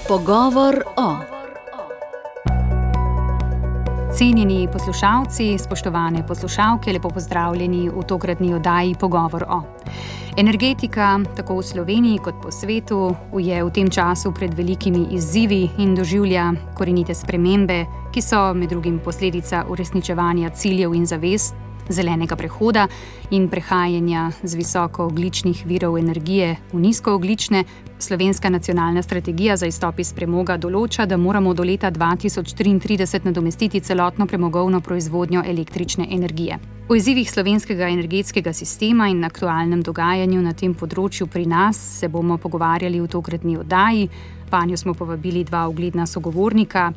Pogovor o. Cenjeni poslušalci, spoštovane poslušalke, lepo pozdravljeni v tokratni oddaji Pogovor o. Energetika, tako v Sloveniji kot po svetu, je v tem času pred velikimi izzivi in doživlja korenite spremembe, ki so med drugim posledica uresničevanja ciljev in zavez zelenega prehoda in prehajanja z visokoogljičnih virov energije v nizkoogljične. Slovenska nacionalna strategija za izstop iz premoga določa, da moramo do leta 2033 nadomestiti celotno premogovno proizvodnjo električne energije. O izzivih slovenskega energetskega sistema in aktualnem dogajanju na tem področju pri nas se bomo pogovarjali v tokratni oddaji. Vanjo smo povabili dva ugledna sogovornika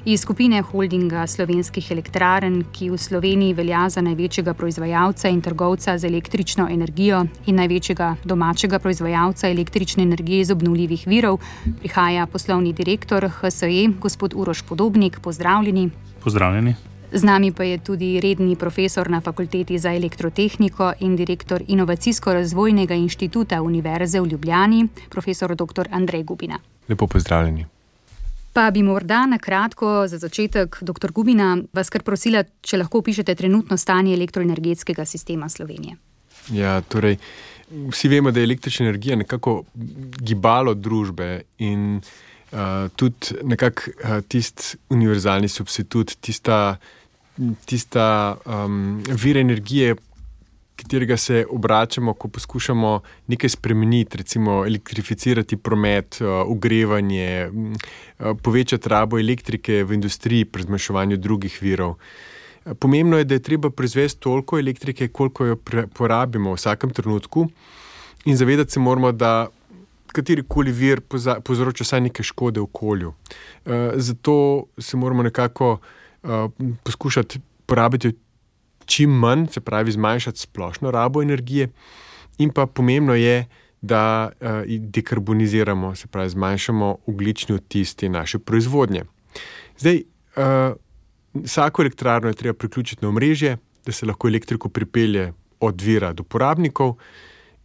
iz skupine holdinga Slovenskih elektrarn, ki v Sloveniji velja za največjega proizvajalca in trgovca z električno energijo in največjega domačega proizvajalca električne energije iz obnovljivih virov. Prihaja poslovni direktor HSE, gospod Uroš Podobnik. Pozdravljeni. Pozdravljeni. Z nami pa je tudi redni profesor na Fakulteti za elektrotehniko in direktor Inovacijsko-razvojnega inštituta Univerze v Ljubljani, profesor dr. Andrej Gubina. Lepo pozdravljeni. Pa bi morda na kratko za začetek, dr. Gubina, vas kar prosila, če lahko opišete trenutno stanje elektroenergetskega sistema Slovenije. Ja, torej, vsi vemo, da je električna energija nekako gibalo družbe in tudi nekako tisti univerzalni substitut, tista vir energije, katerega se obračamo, ko poskušamo nekaj spremeniti, recimo elektrificirati promet, ogrevanje, povečati rabo elektrike v industriji pri zmanjševanju drugih virov. Pomembno je, da je treba proizvesti toliko elektrike, koliko jo porabimo v vsakem trenutku in zavedati se moramo, da katerikoli vir povzroča vsaj neke škode v okolju. Zato se moramo nekako poskušati porabiti čim manj, se pravi zmanjšati splošno rabo energije, in pa pomembno je, da dekarboniziramo, se pravi zmanjšamo ogljični odtis te naše proizvodnje. Zdaj, vsako elektrarno je treba priključiti na omrežje, da se lahko elektriko pripelje od vira do porabnikov,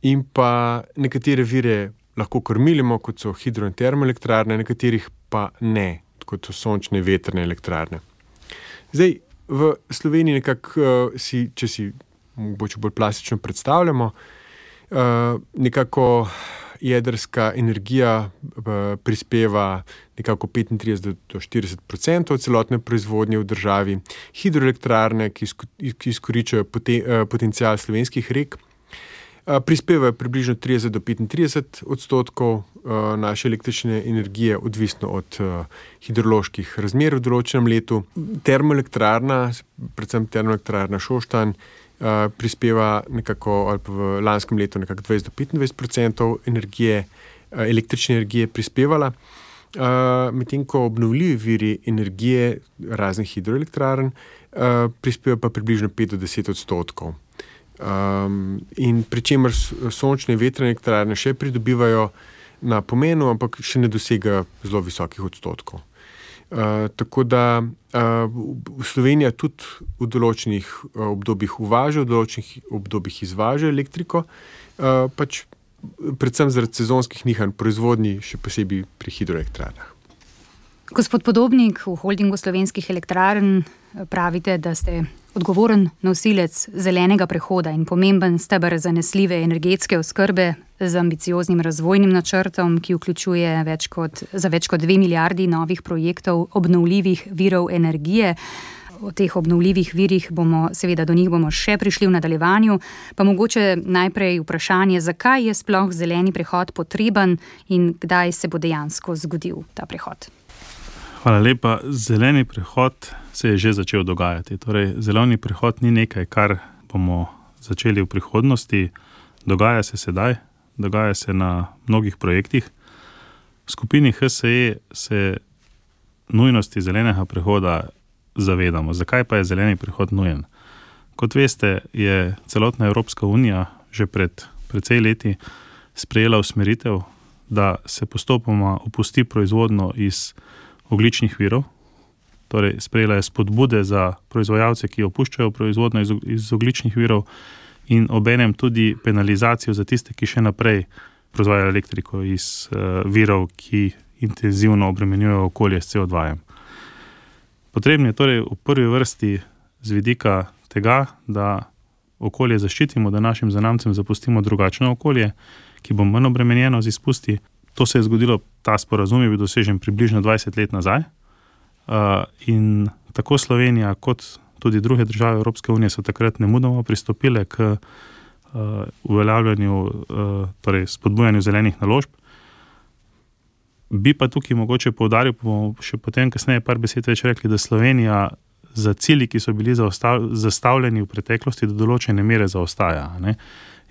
in pa nekatere vire lahko kormilimo, kot so hidro- in termoelektrarne, nekaterih pa ne, kot so sončne in vetrne elektrarne. Zdaj, v Sloveniji nekako če si mogoče bolj plastično predstavljamo, nekako jedrska energija prispeva nekako 35 do 40% celotne proizvodnje v državi. Hidroelektrarne, ki izkoriščajo potencial slovenskih rek, prispevajo približno 30 do 35% naše električne energije, odvisno od hidroloških razmer v določenem letu. Termoelektrarna, predvsem termoelektrarna Šoštanj, prispeva nekako, ali pa v lanskem letu nekako 20 do 25% energije, električne energije prispevala, medtem ko obnovljivi viri energije raznih hidroelektrarn prispevajo pa približno 5 do 10%. In pri čemer sončne in vetrne elektrarne še pridobivajo na pomenu, ampak še ne dosegajo zelo visokih odstotkov. Tako da Slovenija tudi v določenih obdobjih uvaža, v določenih obdobjih izvaža elektriko, pač predvsem zaradi sezonskih nihanj proizvodnji, še posebej pri hidroelektrarnah. Gospod Podobnik, v holdingu Slovenskih elektrarn pravite, da ste odgovoren nosilec zelenega prehoda in pomemben steber zanesljive energetske oskrbe z ambicioznim razvojnim načrtom, ki vključuje več kot 2 milijardi novih projektov obnovljivih virov energije. O teh obnovljivih virih do njih bomo še prišli v nadaljevanju, pa mogoče najprej vprašanje, zakaj je sploh zeleni prehod potreben in kdaj se bo dejansko zgodil ta prehod? Hvala lepa. Zeleni prehod se je že začel dogajati. Torej, zeleni prehod ni nekaj, kar bomo začeli v prihodnosti. Dogaja se sedaj, dogaja se na mnogih projektih. V skupini HSE se nujnosti zelenega prehoda zavedamo. Zakaj pa je zeleni prehod nujen? Kot veste, je celotna Evropska unija že pred precej leti sprejela usmeritev, da se postopoma opusti proizvodnjo iz ogljičnih virov, torej sprejela je spodbude za proizvajalce, ki opuščajo proizvodnjo iz ogljičnih virov, in obenem tudi penalizacijo za tiste, ki še naprej proizvajajo elektriko iz virov, ki intenzivno obremenjujejo okolje s CO2. Potrebno je torej v prvi vrsti z vidika tega, da okolje zaščitimo, da našim zanamcem zapustimo drugačno okolje, ki bo manj obremenjeno z izpusti. To se je zgodilo, ta sporazum je bil dosežen približno 20 let nazaj. In tako Slovenija kot tudi druge države Evropske unije so takrat nemudoma pristopile k uveljavljanju, torej spodbujanju zelenih naložb. Bi pa tukaj mogoče poudaril, pa bomo še potem kasneje par besed več rekli, da Slovenija za cilji, ki so bili zastavljeni v preteklosti, do določene mere zaostaja, ne?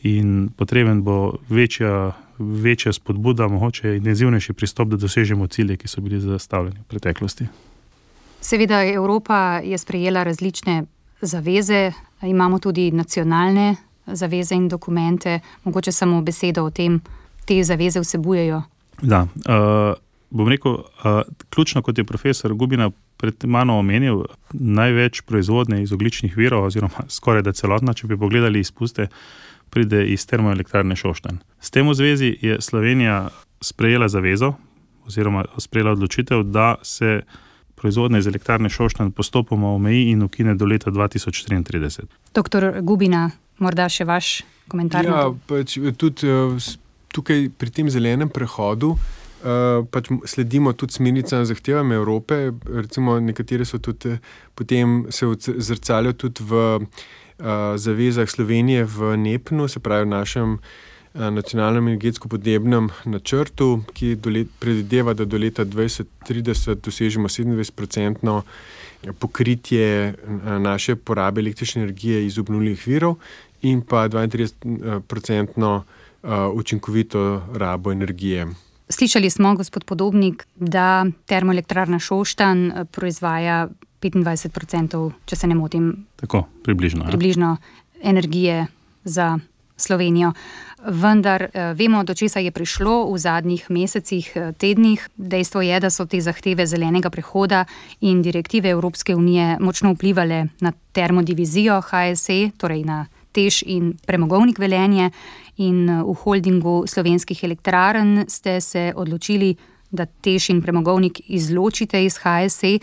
In potreben bo večja spodbuda, mogoče intenzivnejši pristop, da dosežemo cilje, ki so bili zastavljeni v preteklosti. Seveda Evropa je sprejela različne zaveze, imamo tudi nacionalne zaveze in dokumente, mogoče samo besedo o tem, te zaveze vsebujejo. Da, bom rekel, ključno, kot je profesor Gubina pred mano omenil, največ proizvodnje iz ogljičnih virov, oziroma skoraj da celotna, če bi pogledali izpuste, pride iz termoelektrarne Šoštanj. S tem v zvezi je Slovenija sprejela zavezo, oziroma sprejela odločitev, da se proizvodnje iz elektrarne Šoštanj postopoma omeji in ukine do leta 2033. Doktor Gubina, morda še vaš komentar? Ja, pač tudi tukaj pri tem zelenem prehodu pač sledimo tudi smernicam, zahtevam Evrope, recimo nekatere so tudi potem se zrcalijo tudi v zavezah Slovenije v NEPN-u, se pravi v našem nacionalnem energetsko-podnebnem načrtu, ki predvideva, da do leta 2030 dosežemo 27% pokritje naše porabe električne energije iz obnovljivih virov in pa 32% učinkovito rabo energije. Slišali smo, gospod Podobnik, da termoelektrarna Šoštanj proizvaja 25%, če se ne motim. Tako, približno. Približno energije za Slovenijo. Vendar vemo, do česa je prišlo v zadnjih mesecih, tednih. Dejstvo je, da so te zahteve zelenega prehoda in direktive Evropske unije močno vplivale na termodivizijo HSE, torej na TEŠ in Premogovnik Velenje, in v holdingu Slovenskih elektrarn ste se odločili, da TEŠ in Premogovnik izločite iz HSE.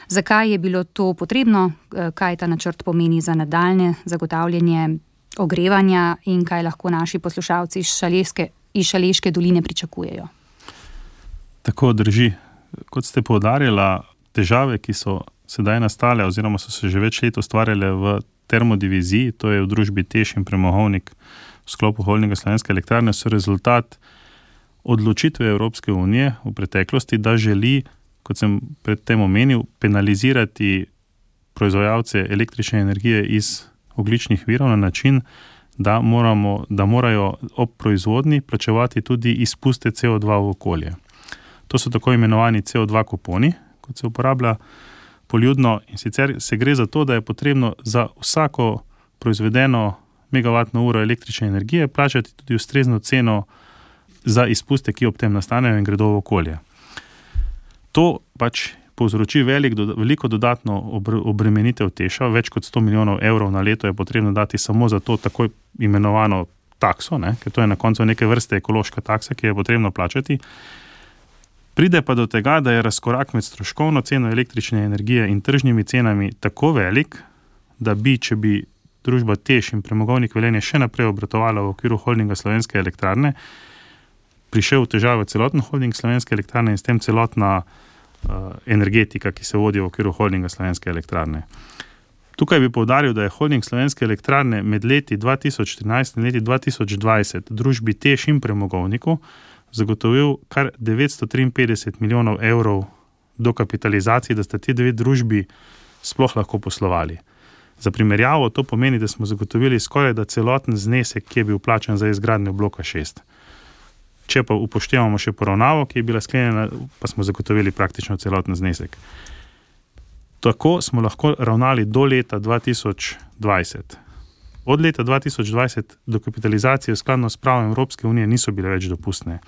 Zakaj je bilo to potrebno, kaj ta načrt pomeni za nadaljnje zagotavljanje ogrevanja in kaj lahko naši poslušalci iz Šaleške doline pričakujejo? Tako drži. Kot ste poudarjala, težave, ki so sedaj nastale oziroma so se že več let ustvarjale v termodiviziji, to je v družbi TEŠ in Premogovnik v sklopu holdinga Slovenske elektrarne, so rezultat odločitve Evropske unije v preteklosti, da želi, kot sem predtem omenil, penalizirati proizvajalce električne energije iz ogljičnih virov na način, da morajo ob proizvodnji plačevati tudi izpuste CO2 v okolje. To so tako imenovani CO2 kuponi, kot se uporablja poljudno, in sicer se gre za to, da je potrebno za vsako proizvedeno megavatno uro električne energije plačati tudi ustrezno ceno za izpuste, ki ob tem nastanejo in gredo v okolje. To pač povzroči veliko dodatno obremenitev TEŠ-a, več kot 100 milijonov evrov na leto je potrebno dati samo za to tako imenovano takso, ker to je na koncu neke vrste ekološka taksa, ki je potrebno plačati. Pride pa do tega, da je razkorak med stroškovno ceno električne energije in tržnimi cenami tako velik, da če bi družba TEŠ in Premogovnik Velenje še naprej obratovala v okviru holdinga Slovenske elektrarne, prišel v težavo celoten holding Slovenske elektrarne in s tem celotna energetika, ki se vodi v okviru holdinga Slovenske elektrarne. Tukaj bi poudaril, da je holding Slovenske elektrarne med leti 2014 in leti 2020 družbi TEŠ in Premogovniku zagotovil kar 953 milijonov evrov dokapitalizacij, da sta ti dve družbi sploh lahko poslovali. Za primerjavo to pomeni, da smo zagotovili skoraj da celoten znesek, ki je bil plačan za izgradnjo bloka 6. Če pa upoštevamo še poravnavo, ki je bila sklenjena, pa smo zagotovili praktično celoten znesek. Tako smo lahko ravnali do leta 2020. Od leta 2020 dokapitalizacije skladno s pravom Evropske unije niso bile več dopustne.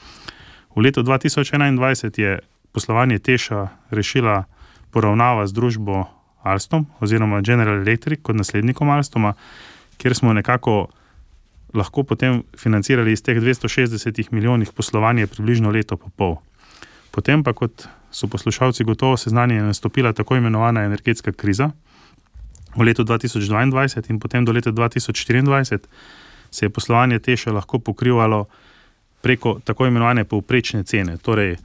V letu 2021 je poslovanje TEŠ-a rešila poravnava z družbo Alstom oziroma General Electric kot naslednikom Alstoma, kjer smo nekako lahko potem financirali iz teh 260 milijonih poslovanje približno leto pa pol. Potem pa, kot so poslušalci gotovo seznanjeni, je nastopila tako imenovana energetska kriza v letu 2022 in potem do leta 2024 se je poslovanje TEŠ-a lahko pokrivalo preko tako imenovane povprečne cene. Torej,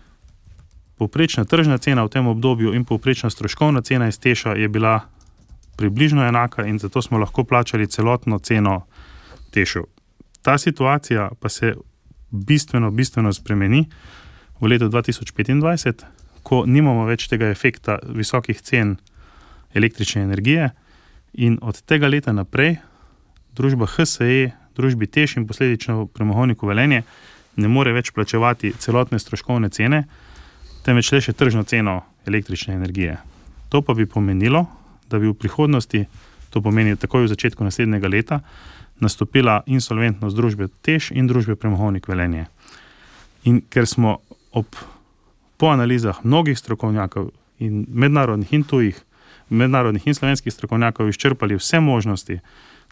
povprečna tržna cena v tem obdobju in povprečna stroškovna cena iz TEŠ-a je bila približno enaka in zato smo lahko plačali celotno ceno TEŠ-u. Ta situacija pa se bistveno spremeni v letu 2025, ko nimamo več tega efekta visokih cen električne energije in od tega leta naprej družba HSE, družbi TEŠ in posledično Premogovniku Velenje ne more več plačevati celotne stroškovne cene, temveč le še tržno ceno električne energije. To pa bi pomenilo, da bi v prihodnosti, to pomeni takoj v začetku naslednjega leta, nastopila insolventnost družbe TEŠ in družbe Premogovnik Velenje. In ker smo po analizah mnogih strokovnjakov in mednarodnih in tujih, mednarodnih in slovenskih strokovnjakov izčrpali vse možnosti,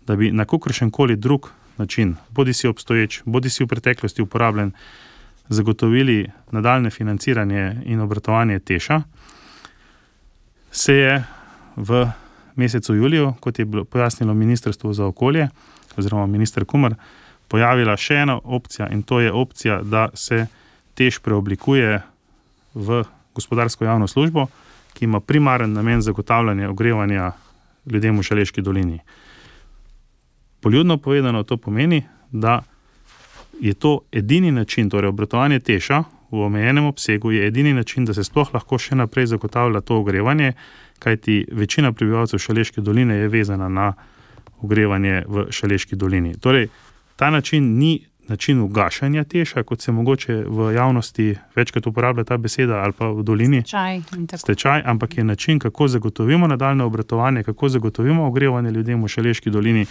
da bi na kakršenkoli drug način, bodi si obstoječ, bodi si v preteklosti uporabljen, zagotovili nadaljne financiranje in obratovanje TEŠ-a, se je v mesecu juliju, kot je bilo pojasnilo Ministrstvo za okolje oziroma minister Kumer, pojavila še ena opcija in to je opcija, da se TEŠ preoblikuje v gospodarsko javno službo, ki ima primaren namen zagotavljanja ogrevanja ljudem v Šaleški dolini. Poljudno povedano to pomeni, da je to edini način, torej obratovanje TEŠ-a v omejenem obsegu je edini način, da se sploh lahko še naprej zagotavlja to ogrevanje, kajti večina prebivalcev Šaleške doline je vezana na ogrevanje v Šaleški dolini. Torej, ta način ni način ugašanja TEŠ-a, kot se mogoče v javnosti večkrat uporablja ta beseda ali pa v dolini. Stečaj, ampak je način, kako zagotovimo nadaljne obratovanje, kako zagotovimo ogrevanje ljudem v Šaleški dolini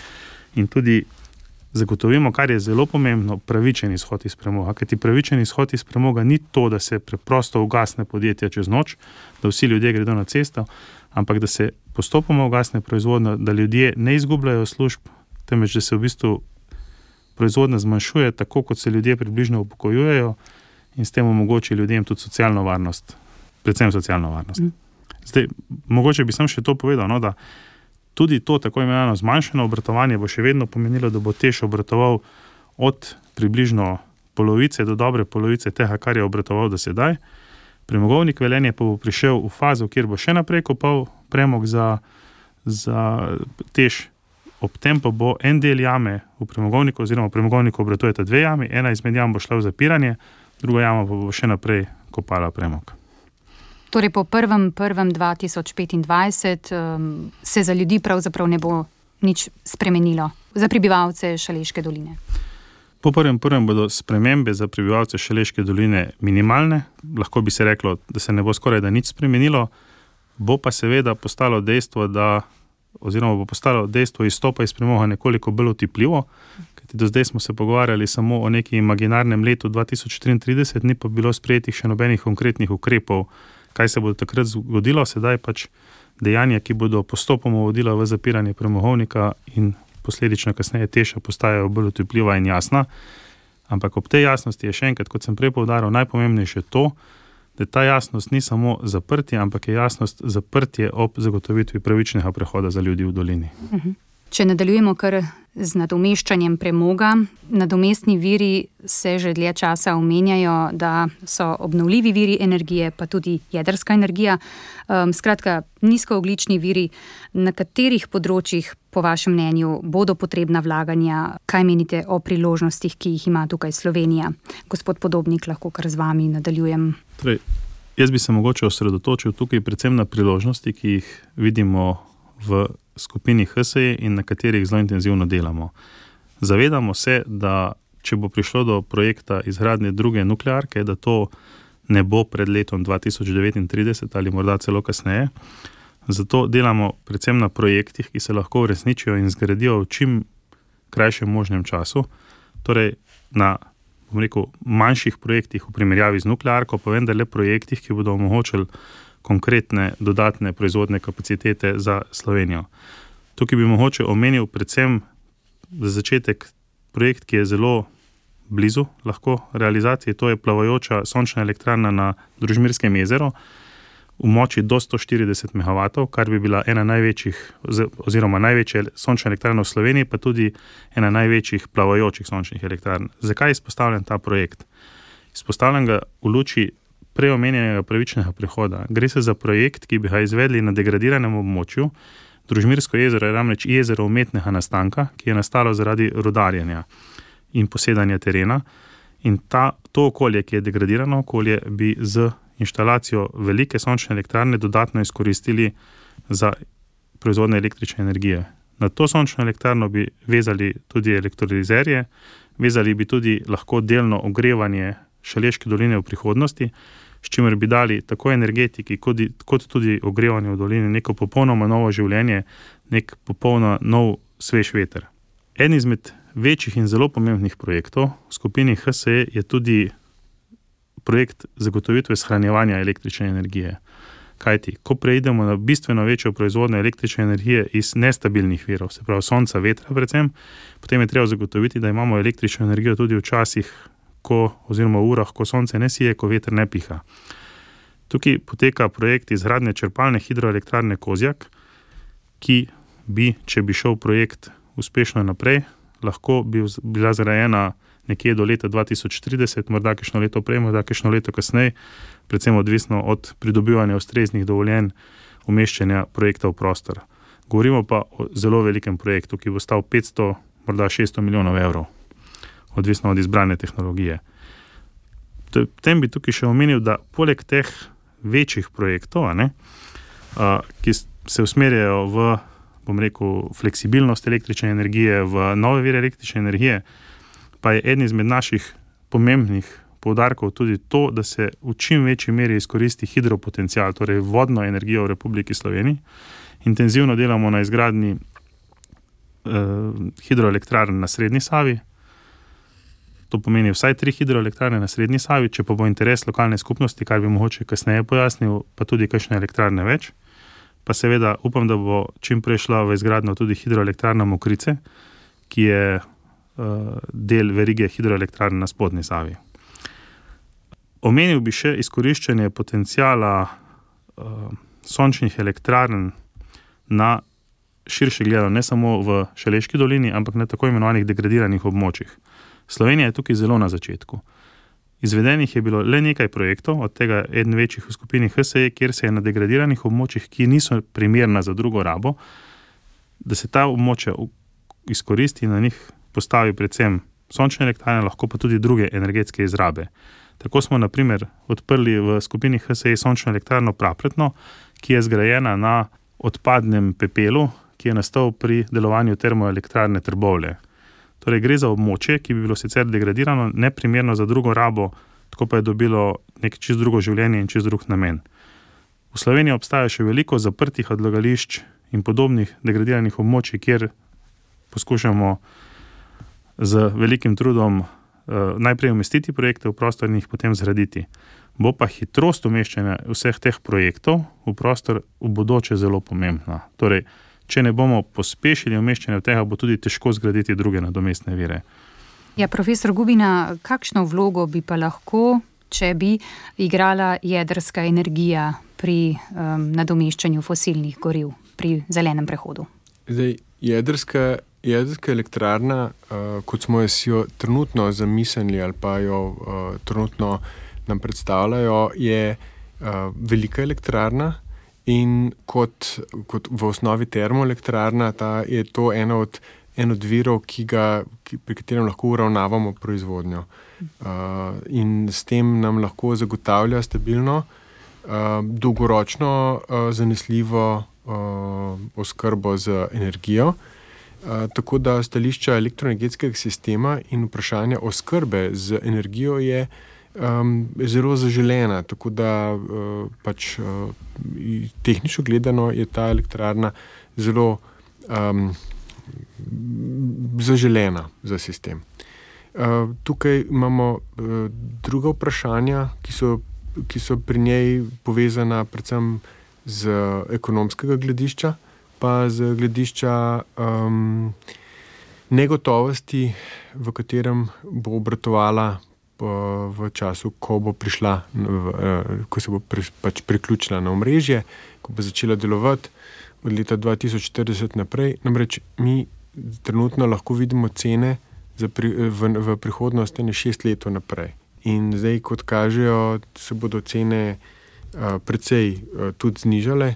in tudi zagotovimo, kar je zelo pomembno, pravičen izhod iz premoga. Kajti pravičen izhod iz premoga ni to, da se preprosto ugasne podjetja čez noč, da vsi ljudje gredo na cesto, ampak da se postopoma ugasne proizvodnja, da ljudje ne izgubljajo služb, temveč da se v bistvu proizvodnja zmanjšuje, tako kot se ljudje približno upokojujejo in s tem omogoči ljudem tudi socialno varnost, predvsem socialno varnost. Zdaj, mogoče bi sam še to povedal, no, da tudi to tako imenovano zmanjšano obratovanje bo še vedno pomenilo, da bo TEŠ obratoval od približno polovice do dobre polovice tega, kar je obratoval do sedaj. Premogovnik Velenje pa bo prišel v fazo, kjer bo še naprej kopal premog za TEŠ, ob tem pa bo en del jame v premogovniku, oziroma v premogovniku obratujeta dve jami, ena izmed jam bo šla v zapiranje, druga jama pa bo še naprej kopala premog. Torej po 1.1.2025 se za ljudi pravzaprav ne bo nič spremenilo, za prebivalce Šaleške doline. Po 1.1. bodo spremembe za prebivalce Šaleške doline minimalne, lahko bi se reklo, da se ne bo skoraj da nič spremenilo, bo pa seveda postalo dejstvo, bo postalo dejstvo izstopa iz premoga nekoliko bolj otipljivo, kajti do zdaj smo se pogovarjali samo o neki imaginarnem letu 2033, ni pa bilo sprejetih še nobenih konkretnih ukrepov, kaj se bo takrat zgodilo, sedaj pač dejanja, ki bodo postopoma vodila v zapiranje premogovnika in posledično kasneje TEŠ-a postajajo bolj otipljiva in jasna. Ampak ob tej jasnosti je še enkrat, kot sem prej poudaril, najpomembnejše to, da ta jasnost ni samo zaprtje, ampak je jasnost zaprtje ob zagotovitvi pravičnega prehoda za ljudi v dolini. Če nadaljujemo kar z nadomeščanjem premoga, nadomestni viri se že dlje časa omenjajo, da so obnovljivi viri energije, pa tudi jedrska energija. Skratka, nizkoogljični viri, na katerih področjih po vašem mnenju bodo potrebna vlaganja, kaj menite o priložnostih, ki jih ima tukaj Slovenija? Gospod Podobnik, lahko kar z vami nadaljujem. Torej, jaz bi se mogoče osredotočil tukaj predvsem na priložnosti, ki jih vidimo v skupini HSE in na katerih zelo intenzivno delamo. Zavedamo se, da če bo prišlo do projekta izgradnje druge nuklearke, da to ne bo pred letom 2039 ali morda celo kasneje. Zato delamo predvsem na projektih, ki se lahko uresničijo in zgradijo v čim krajšem možnem času. Torej na, manjših projektih v primerjavi z nuklearko, pa vendarle projektih, ki bodo omogočili konkretne dodatne proizvodne kapacitete za Slovenijo. Tukaj bi mogoče omenil predvsem za začetek projekt, ki je zelo blizu lahko realizacije. To je plavajoča sončna elektrarna na Družmirskem jezeru v moči do 140 MW, kar bi bila ena največjih oziroma največja sončna elektrarna v Sloveniji, pa tudi ena največjih plavajočih sončnih elektrarn. Zakaj izpostavljam ta projekt? Izpostavljam ga v luči preomenjenega pravičnega prehoda. Gre se za projekt, ki bi ga izvedli na degradiranem območju. Družmirsko jezero je namreč jezero umetnega nastanka, ki je nastalo zaradi rudarjenja in posedanja terena. In to okolje, ki je degradirano okolje, bi z inštalacijo velike sončne elektrarne dodatno izkoristili za proizvodnjo električne energije. Na to sončno elektrarno bi vezali tudi elektrolizerje, vezali bi tudi lahko delno ogrevanje Šaleške doline v prihodnosti, s čimer bi dali tako energetiki kot tudi ogrevanju v dolini neko popolnoma novo življenje, nek popolno nov svež veter. En izmed večjih in zelo pomembnih projektov v skupini HSE je tudi projekt zagotovitve shranjevanja električne energije. Kajti, ko preidemo na bistveno večjo proizvodnjo električne energije iz nestabilnih virov, se pravi sonca, vetra predvsem, potem je treba zagotoviti, da imamo električno energijo tudi v časih, oziroma v urah, ko sonce ne sije, ko veter ne piha. Tukaj poteka projekt izgradnje črpalne hidroelektrarne Kozjak, ki bi, če bi šel projekt uspešno naprej, lahko bi bila zgrajena nekje do leta 2030, morda kakšno leto prej, morda kakšno leto kasneje, predvsem odvisno od pridobivanja ustreznih dovoljenj umeščanja projekta v prostor. Govorimo pa o zelo velikem projektu, ki bo stal 500, morda 600 milijonov evrov. Odvisno od izbrane tehnologije. Potem bi tukaj še omenil, da poleg teh večjih projektov, ki se usmerjajo v, fleksibilnost električne energije, v nove vire električne energije, pa je eden izmed naših pomembnih poudarkov tudi to, da se v čim večji meri izkoristi hidropotencial, torej vodno energijo v Republiki Sloveniji. Intenzivno delamo na izgradnji hidroelektrarn na Srednji Savi. To pomeni vsaj 3 hidroelektrarne na Srednji Savi, če pa bo interes lokalne skupnosti, kar bi mogoče kasneje pojasnil, pa tudi kakšne elektrarne več. Pa seveda upam, da bo čim prej šla v izgradnjo tudi hidroelektrarna Mokrice, ki je del verige hidroelektrarn na Spodnji Savi. Omenil bi še izkoriščanje potenciala sončnih elektrarn na širše gledano, ne samo v Šaleški dolini, ampak na tako imenovanih degradiranih območjih. Slovenija je tukaj zelo na začetku. Izvedenih je bilo le nekaj projektov, od tega eden večjih v skupini HSE, kjer se je na degradiranih območjih, ki niso primerna za drugo rabo, da se ta območja izkoristi in na njih postavi predvsem sončne elektrarne, lahko pa tudi druge energetske izrabe. Tako smo na primer odprli v skupini HSE sončno elektrarno Prapletno, ki je zgrajena na odpadnem pepelu, ki je nastal pri delovanju termoelektrarne Trbovlje. Torej gre za območje, ki bi bilo sicer degradirano, neprimerno za drugo rabo, tako pa je dobilo nek čisto drugo življenje in čisto drug namen. V Sloveniji obstaja še veliko zaprtih odlagališč in podobnih degradiranih območij, kjer poskušamo z velikim trudom najprej umestiti projekte v prostor in jih potem zgraditi. Bo pa hitrost umeščanja vseh teh projektov v prostor v bodoče zelo pomembna. Torej, če ne bomo pospešili umeščanja tega, bo tudi težko zgraditi druge nadomestne vire. Ja, profesor Gubina, kakšno vlogo bi pa lahko, če bi igrala jedrska energija pri nadomeščanju fosilnih goriv, pri zelenem prehodu? Zdaj, jedrska elektrarna, kot smo jo trenutno zamislili ali pa jo trenutno nam predstavljajo, je velika elektrarna. In kot v osnovi termoelektrarna, je to eno od virov, pri katerem lahko uravnavamo proizvodnjo. In s tem nam lahko zagotavlja stabilno, dolgoročno zanesljivo oskrbo z energijo. Tako da stališča elektroenergetskega sistema in vprašanja oskrbe z energijo je zelo zaželena, tako da tehnično gledano je ta elektrarna zelo zaželena za sistem. Tukaj imamo druga vprašanja, ki so pri njej povezana predvsem z ekonomskega gledišča, pa z gledišča negotovosti, v katerem bo obratovala v času, ko bo prišla, ko se bo pač priključila na omrežje, ko bo začela delovati od leta 2040 naprej. Namreč mi trenutno lahko vidimo cene v prihodnosti 6 let naprej. In zdaj, kot kažejo, se bodo cene precej tudi znižale.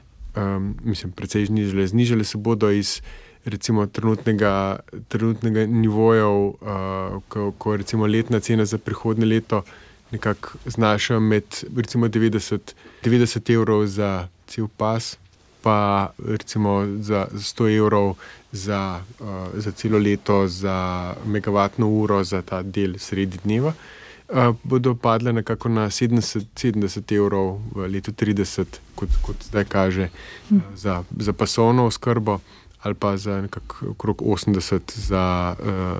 Precej znižale. Znižale se bodo iz recimo trenutnega nivojev, ko recimo letna cena za prihodnje leto nekako znaša med recimo 90 evrov za cel pas, pa recimo za 100 evrov za celo leto, za megavatno uro za ta del sredi dneva, bodo padle nekako na 70 evrov v letu 30, kot zdaj kaže, za pasovno oskrbo, ali pa za nekako okrog 80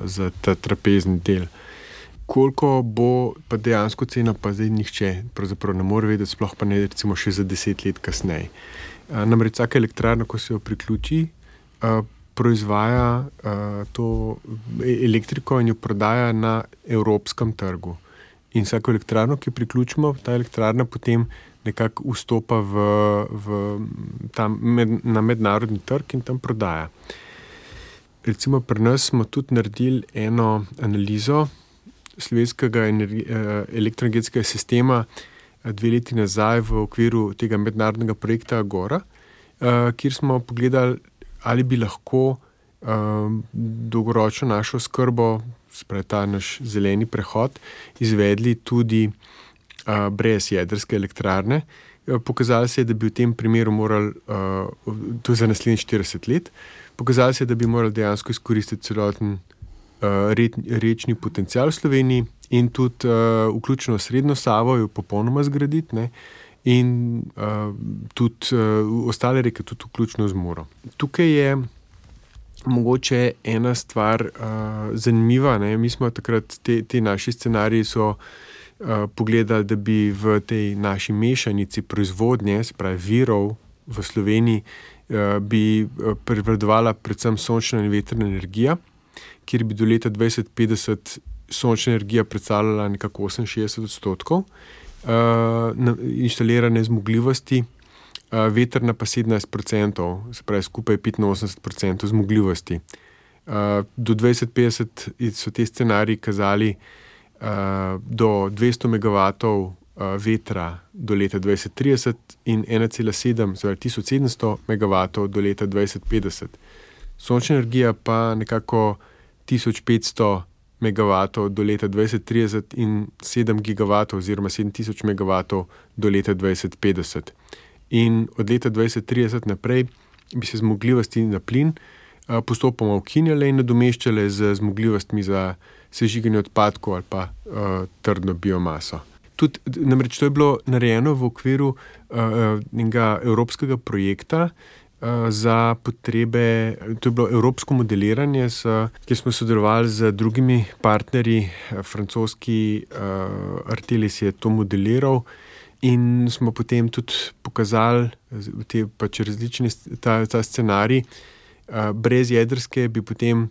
za ta trapezni del. Koliko bo pa dejansko cena, pa zdaj nihče pravzaprav ne more vedeti, sploh pa ne recimo še za 10 let kasneje. Namreč vsaka elektrarna, ko se jo priključi, proizvaja to elektriko in jo prodaja na evropskem trgu. In vsako elektrarno, ki priključimo, ta elektrarna potem nekako vstopa na mednarodni trg in tam prodaja. Recimo pri nas smo tudi naredili eno analizo slovenskega elektroenergetskega sistema 2 leti nazaj v okviru tega mednarodnega projekta Agora, kjer smo pogledali, ali bi lahko dolgoročno našo oskrbo, spravi ta naš zeleni prehod, izvedli tudi brez jedrske elektrarne. Pokazalo se je, da bi v tem primeru morali, to je za naslednjih 40 let, pokazalo se je, da bi morali dejansko izkoristiti celoten rečni potencial v Sloveniji in tudi vključno srednjo Savo jo popolnoma zgraditi, ne, in tudi ostale reke, tudi vključno z Muro. Tukaj je mogoče ena stvar zanimiva, ne. Mi smo takrat, te naši scenariji so pogledali, da bi v tej naši mešanici proizvodnje, se pravi virov v Sloveniji, bi prevladovala predvsem sončna in vetrna energija, kjer bi do leta 2050 sončna energija predstavljala nekako 68% inštalirane zmogljivosti, vetrna pa 17%, se pravi skupaj 85% zmogljivosti. Do 2050 so te scenariji kazali do 200 megavatov vetra do leta 2030 in 1,7, torej 1700 megavatov do leta 2050. Sončna energija pa nekako 1500 megavatov do leta 2030 in 7 gigavatov oziroma 7000 megavatov do leta 2050. In od leta 2030 naprej bi se zmogljivosti na plin postopoma ukinjale in nadomeščale z zmogljivostmi za sežiganje odpadkov ali pa trdno biomaso. Tudi, namreč to je bilo narejeno v okviru enega evropskega projekta za potrebe, to je bilo evropsko modeliranje, kjer smo sodelovali z drugimi partnerji, francoski Artelis je to modeliral in smo potem tudi pokazali te pač različne ta scenarij. Brez jedrske bi potem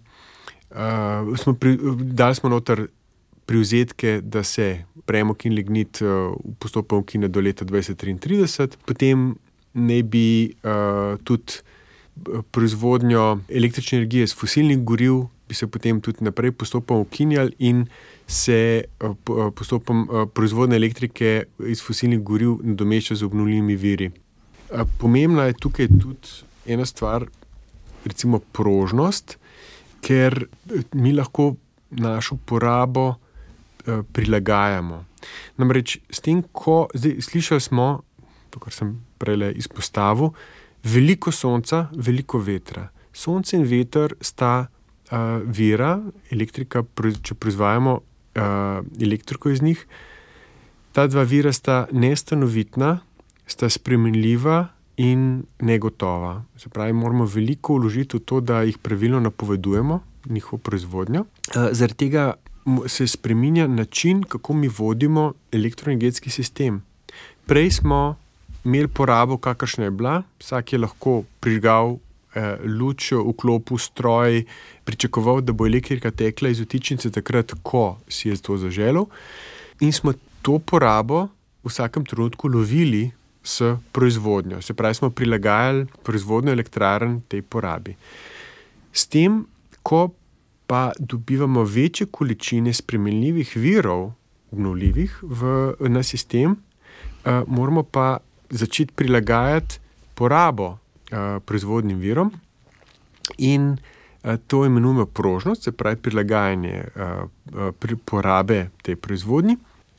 dali smo noter privzetke, da se premog in lignit postopoma ukine do leta 2033, potem naj bi tudi proizvodnjo električne energije iz fosilnih goriv bi se potem tudi naprej postopoma ukinjali in se postopoma proizvodnja elektrike iz fosilnih goriv nadomešča z obnovljivimi viri. Pomembna je tukaj tudi ena stvar, recimo prožnost, ker mi lahko našo porabo prilagajamo. Namreč s tem, zdaj slišali smo, to, kar sem prej izpostavil, veliko sonca, veliko vetra. Sonce in veter sta vira, elektrika, če proizvajamo elektriko iz njih, ta dva vira sta nestanovitna, sta spremenljiva in negotova. Se pravi, moramo veliko vložiti v to, da jih pravilno napovedujemo, njihovo proizvodnjo. Zaradi tega se spreminja način, kako mi vodimo elektroenergetski sistem. Prej smo imeli porabo, kakršna je bila, vsak je lahko prižgal luč vklopil stroj, pričakoval, da bo elektrika tekla iz vtičnice takrat, ko si je to zaželel. In smo to porabo v vsakem trenutku lovili s proizvodnjo. Se pravi, smo prilagajali proizvodnjo elektrarn tej porabi. S tem, ko pa dobivamo večje količine spremenljivih virov, obnovljivih na sistem, moramo pa začeti prilagajati porabo proizvodnim virom in to imenujemo prožnost, se pravi prilagajanje porabe tej proizvodnji.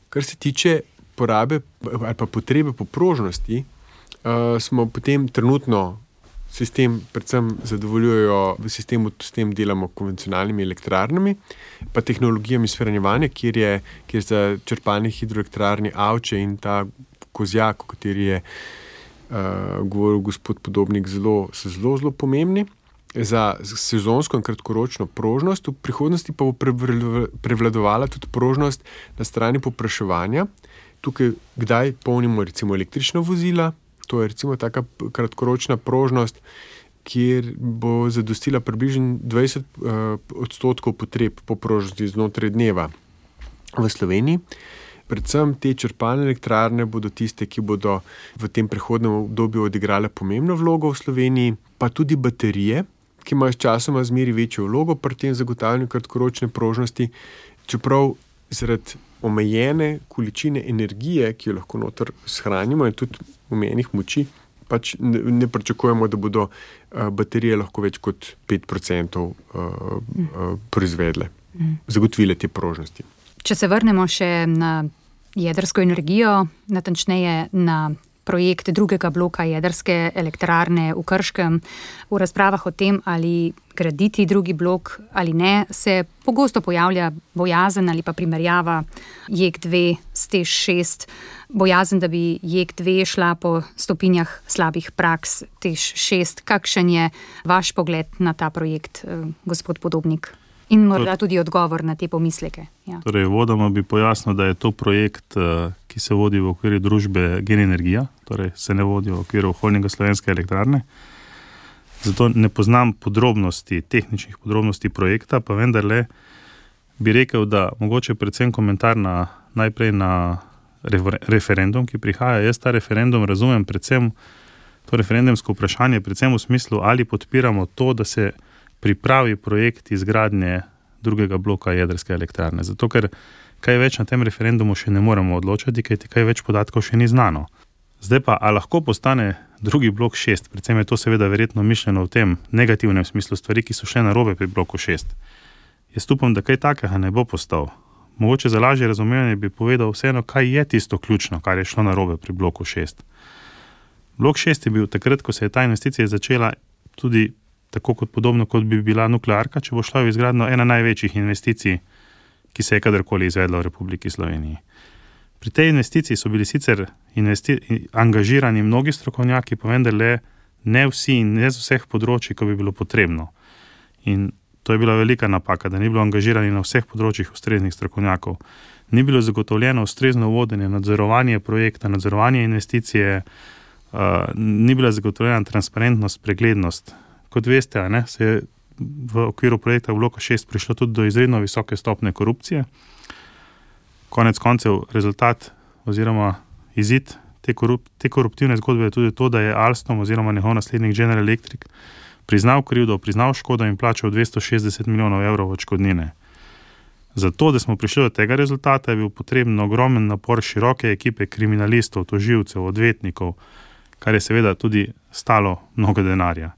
Kar se tiče porabe ali pa potrebe po prožnosti, smo potem trenutno sistem predvsem zadovoljujejo v sistemu, s tem delamo konvencionalnimi elektrarnami, pa tehnologijami shranjevanja, kjer za črpalne hidroelektrarne Avče in ta Kozjak, o kateri je govoril gospod Podobnik, so zelo pomembni za sezonsko in kratkoročno prožnost. V prihodnosti pa bo prevladovala tudi prožnost na strani povpraševanja. Tukaj kdaj polnimo recimo električna vozila, to je recimo taka kratkoročna prožnost, kjer bo zadostila približno 20% potreb po prožnosti znotraj dneva v Sloveniji. Predvsem te črpalne elektrarne bodo tiste, ki bodo v tem prehodnem obdobju odigrale pomembno vlogo v Sloveniji, pa tudi baterije, ki imajo s časoma zmeri večjo vlogo pri tem zagotavljanju kratkoročne prožnosti, čeprav zaradi omejene količine energije, ki jo lahko noter shranimo in tudi omejenih moči, pač ne pričakujemo, da bodo baterije lahko več kot 5% proizvedle, zagotovile te prožnosti. Če se vrnemo še na jedrsko energijo, natančneje na projekt drugega bloka jedrske elektrarne v Krškem, v razpravah o tem, ali graditi drugi blok ali ne, se pogosto pojavlja bojazen ali pa primerjava JEK2 s TEŠ6, bojazen, da bi JEK2 šla po stopinjah slabih praks TEŠ6. Kakšen je vaš pogled na ta projekt, gospod Podobnik? In morda tudi odgovor na te pomisleke. Ja. Torej, vodoma bi pojasnil, da je to projekt, ki se vodi v okviru družbe Gen Energija, torej se ne vodi v okviru holdinga Slovenske elektrarne. Zato ne poznam tehničnih podrobnosti projekta, pa vendarle bi rekel, da mogoče predvsem komentar najprej na referendum, ki prihaja. Jaz ta referendum razumem predvsem, to referendumsko vprašanje, predvsem v smislu, ali podpiramo to, da se pripravi projekt izgradnje drugega bloka jedrske elektrarne. Zato, ker kaj več na tem referendumu še ne moremo odločiti, kajti kaj več podatkov še ni znano. Zdaj pa, a lahko postane drugi blok 6, predvsem je to seveda verjetno mišljeno v tem negativnem smislu stvari, ki so šle narobe pri bloku 6. Jaz upam, da kaj takega ne bo postal. Mogoče za lažje razumevanje bi povedal vseeno, kaj je tisto ključno, kar je šlo narobe pri bloku 6. Blok 6 je bil takrat, ko se je ta investicija začela, tudi tako kot podobno, kot bi bila nuklearka, če bo šla v izgradnjo ena največjih investicij, ki se je kadarkoli izvedla v Republiki Sloveniji. Pri tej investiciji so bili sicer angažirani mnogi strokovnjaki, pa vendarle ne vsi in ne z vseh področji, ko bi bilo potrebno. In to je bila velika napaka, da ni bilo angažirani na vseh področjih ustreznih strokovnjakov. Ni bilo zagotovljeno ustrezno vodenje, nadzorovanje projekta, nadzorovanje investicije, ni bila zagotovljena transparentnost, preglednost. Kot veste, se je v okviru projekta bloka 6 prišlo tudi do izredno visoke stopnje korupcije. Konec koncev rezultat oziroma izid te koruptivne zgodbe je tudi to, da je Alstom oziroma njegov naslednik General Electric priznal krivdo, priznal škodo in plačal 260 milijonov evrov odškodnine. Zato, da smo prišli do tega rezultata, je bil potreben ogromen napor široke ekipe kriminalistov, tožilcev, odvetnikov, kar je seveda tudi stalo mnogo denarja.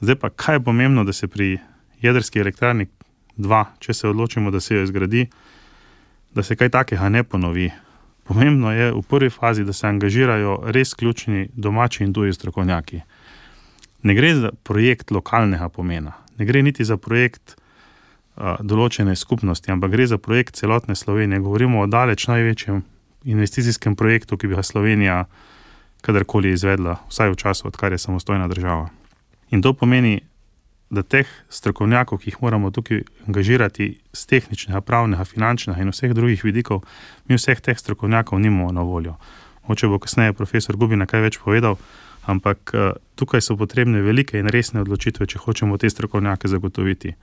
Zdaj pa, kaj je pomembno, da se pri jedrski elektrarni 2, če se odločimo, da se jo izgradi, da se kaj takega ne ponovi. Pomembno je v prvi fazi, da se angažirajo res ključni domači in tuji strokovnjaki. Ne gre za projekt lokalnega pomena, ne gre niti za projekt določene skupnosti, ampak gre za projekt celotne Slovenije. Govorimo o daleč največjem investicijskem projektu, ki bi ga Slovenija kadarkoli izvedla, vsaj v času, odkar je samostojna država. In to pomeni, da teh strokovnjakov, ki jih moramo tukaj angažirati z tehničnega, pravnega, finančnega in vseh drugih vidikov, mi vseh teh strokovnjakov nimamo na voljo. Mogoče bo kasneje profesor Gubina kaj več povedal, Ampak tukaj so potrebne velike in resne odločitve, če hočemo te strokovnjake zagotoviti.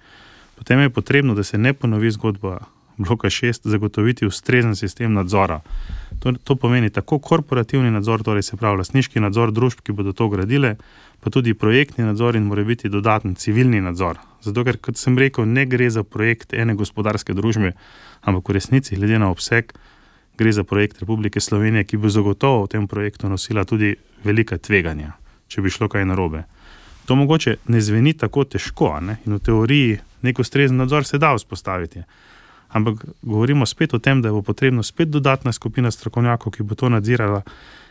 Potem je potrebno, da se ne ponovi zgodba bloka 6, zagotoviti ustrezen sistem nadzora. To pomeni tako korporativni nadzor, torej se pravi lastniški nadzor družb, ki bodo to gradile, pa tudi projektni nadzor in mora biti dodaten civilni nadzor. Zato, ker, kot sem rekel, ne gre za projekt ene gospodarske družbe, ampak v resnici, glede na obseg, gre za projekt Republike Slovenije, ki bo zagotovo v tem projektu nosila tudi velika tveganja, če bi šlo kaj narobe. To mogoče ne zveni tako težko, ne? In v teoriji nek ustrezen nadzor se da vzpostaviti. Ampak govorimo spet o tem, da bo potrebno spet dodatna skupina strokovnjakov, ki bo to nadzirala,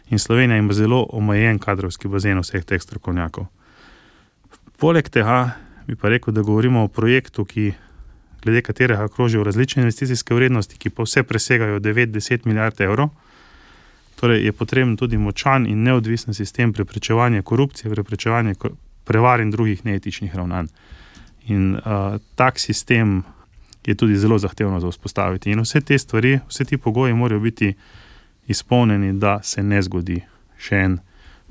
in Slovenija ima zelo omejen kadrovski bazen vseh teh strokovnjakov. Poleg tega bi pa rekel, da govorimo o projektu, glede katerega krožijo različne investicijske vrednosti, ki pa vse presegajo 9-10 milijard evrov. Torej je potreben tudi močan in neodvisen sistem preprečevanja korupcije, preprečevanja prevar in drugih neetičnih ravnanj. In tak sistem je tudi zelo zahtevno za vzpostaviti. In vse te stvari, vse ti pogoji morajo biti izpolnjeni, da se ne zgodi še en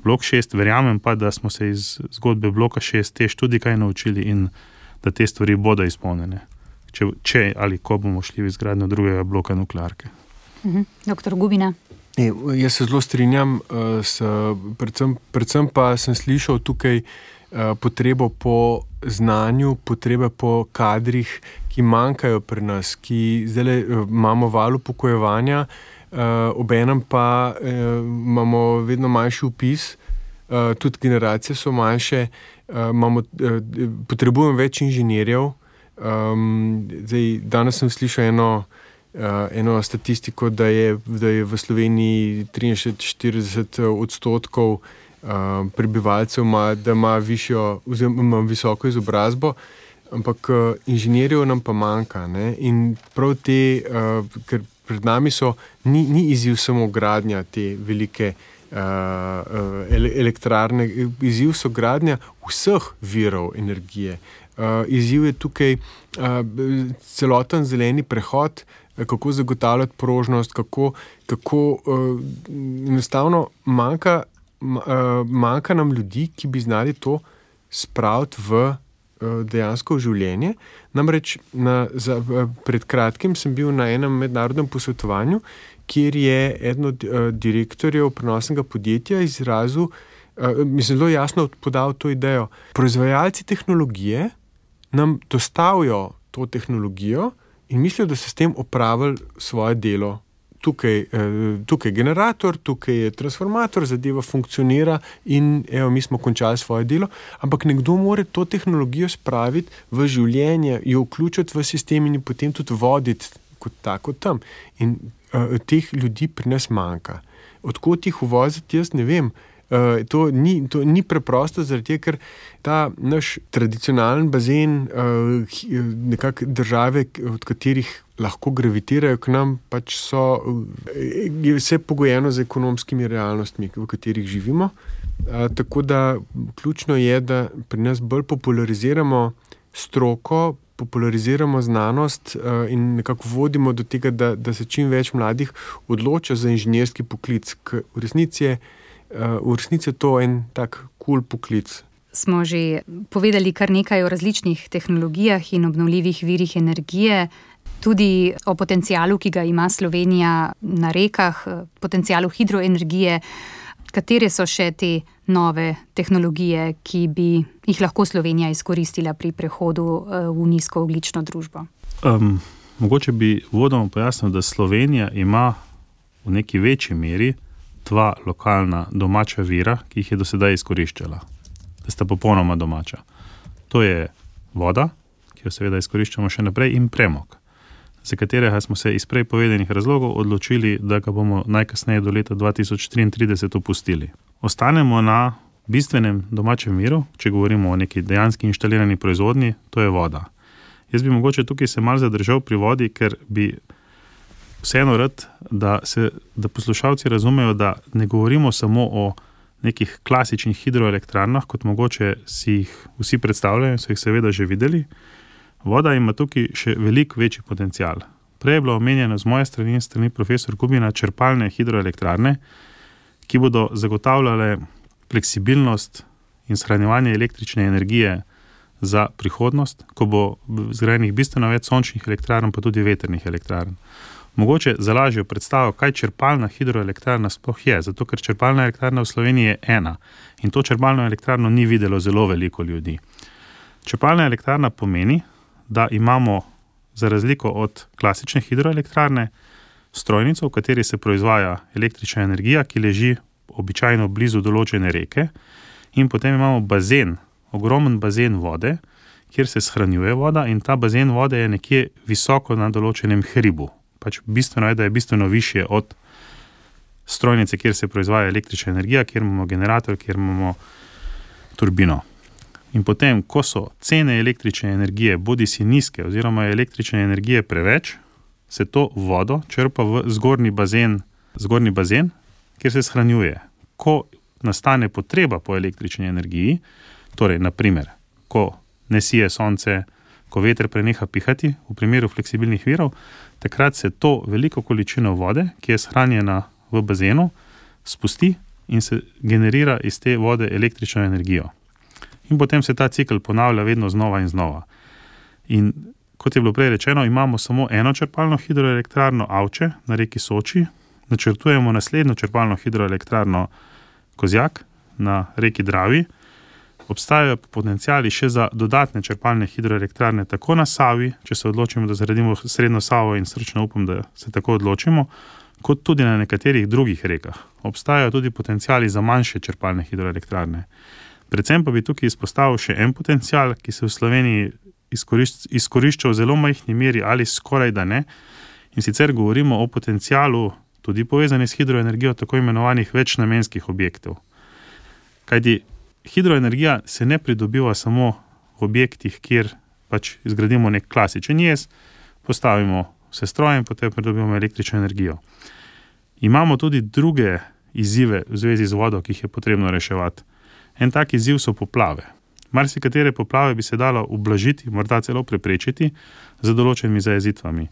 blok 6. Verjamem pa, da smo se iz zgodbe bloka 6 tež tudi kaj naučili in da te stvari bodo izpolnjene. Če ali ko bomo šli v izgradnjo drugega bloka nuklearke. Doktor Gubina. Jaz se zelo strinjam, predvsem pa sem slišal tukaj potrebo po znanju, potrebe po kadrih, ki manjkajo pri nas, ki zdaj imamo val upokojevanja, obenem pa imamo vedno manjši vpis, tudi generacije so manjše, potrebujemo več inženirjev. Danes sem slišal eno statistiko, da je v Sloveniji 43-40% prebivalcev da ima visoko izobrazbo, ampak inženirjev nam pa manjka. Ne? In prav te, ker pred nami ni izziv samo gradnja te velike elektrarne, izziv so gradnja vseh virov energije. Izziv je tukaj celoten zeleni prehod, kako zagotavljati prožnost, kako enostavno manjka nam ljudi, ki bi znali to spraviti v dejansko v življenje. Namreč pred kratkim sem bil na enem mednarodnem posvetovanju, kjer je eden od direktorjev prenosnega podjetja izrazil, zelo jasno podal to idejo. Proizvajalci tehnologije nam dostavijo to tehnologijo in mislijo, da so s tem opravili svoje delo. Tukaj je generator, tukaj je transformator, zadeva funkcionira in mi smo končali svoje delo, ampak nekdo mora to tehnologijo spraviti v življenje, jo vključiti v sistem in potem tudi voditi kot tako tam. In teh ljudi pri nas manjka. Odkot jih uvoziti, jaz ne vem. To ni preprosto, zaradi ker ta naš tradicionalen bazen nekako države, od katerih lahko gravitirajo k nam, pač je vse pogojeno z ekonomskimi realnostmi, v katerih živimo. Tako da ključno je, da pri nas bolj populariziramo stroko, populariziramo znanost in nekako vodimo do tega, da se čim več mladih odloča za inženirski poklic. V resnici je to en tak cool poklic. Smo že povedali kar nekaj o različnih tehnologijah in obnovljivih virih energije, tudi o potencialu, ki ga ima Slovenija na rekah, potencialu hidroenergije. Katere so še te nove tehnologije, ki bi jih lahko Slovenija izkoristila pri prehodu v nizkoogljično družbo? Mogoče bi uvodoma pojasnil, da Slovenija ima v neki večji meri dva lokalna domača vira, ki jih je do sedaj izkoriščala. Da sta popolnoma domača. To je voda, ki jo seveda izkoriščamo še naprej, in premog, za katerega smo se iz prej povedanih razlogov odločili, da ga bomo najkasneje do leta 2033 opustili. Ostanemo na bistvenem domačem viru, če govorimo o neki dejanski inštalirani proizvodnji, to je voda. Jaz bi mogoče tukaj se malo zadržal pri vodi, ker bi vseeno rad, da poslušalci razumejo, da ne govorimo samo o nekih klasičnih hidroelektrarnah, kot mogoče si jih vsi predstavljajo, so jih seveda že videli. Voda ima tukaj še veliko večji potencial. Prej je bilo omenjeno z moje strani in strani profesor Gubina črpalne hidroelektrarne, ki bodo zagotavljale fleksibilnost in shranjevanje električne energije za prihodnost, ko bo zgrajenih bistveno več sončnih elektrarn, pa tudi vetrnih elektrarn. Mogoče za lažjo predstavo, kaj črpalna hidroelektrarna sploh je, zato ker črpalna elektrarna v Sloveniji je ena in to črpalno elektrarno ni videlo zelo veliko ljudi. Črpalna elektrarna pomeni, da imamo za razliko od klasične hidroelektrarne strojnico, v kateri se proizvaja električna energija, ki leži običajno blizu določene reke, in potem imamo bazen, ogromen bazen vode, kjer se shranjuje voda, in ta bazen vode je nekje visoko na določenem hribu. Pač bistveno je, da je bistveno višje od strojnice, kjer se proizvaja električna energija, kjer imamo generator, kjer imamo turbino. In potem, ko so cene električne energije bodisi nizke oziroma je električne energije preveč, se to vodo črpa v zgornji bazen, kjer se shranjuje. Ko nastane potreba po električni energiji, torej, naprimer, ko ne sije sonce, ko veter preneha pihati, v primeru fleksibilnih virov, takrat se to veliko količino vode, ki je shranjena v bazenu, spusti in se generira iz te vode električno energijo. In potem se ta cikel ponavlja vedno znova in znova. In kot je bilo prej rečeno, imamo samo eno črpalno hidroelektrarno Avče na reki Soči, načrtujemo naslednjo črpalno hidroelektrarno Kozjak na reki Dravi, obstajajo potenciali še za dodatne črpalne hidroelektrarne tako na Savi, če se odločimo, da zgradimo srednjo Savo, in srčno upam, da se tako odločimo, kot tudi na nekaterih drugih rekah. Obstajajo tudi potenciali za manjše črpalne hidroelektrarne. Predvsem pa bi tukaj izpostavil še en potencial, ki se v Sloveniji izkorišča v zelo majhni meri ali skoraj da ne, in sicer govorimo o potencialu, tudi povezani s hidroenergijo, tako imenovanih večnamenskih objektov. Kajti hidroenergija se ne pridobiva samo v objektih, kjer pač izgradimo nek klasičen jez, postavimo vse stroje in potem pridobivamo električno energijo. Imamo tudi druge izzive v zvezi z vodo, ki jih je potrebno reševati. En tak izziv so poplave. Marsikatere poplave bi se dalo ublažiti, morda celo preprečiti z določenimi zajezitvami.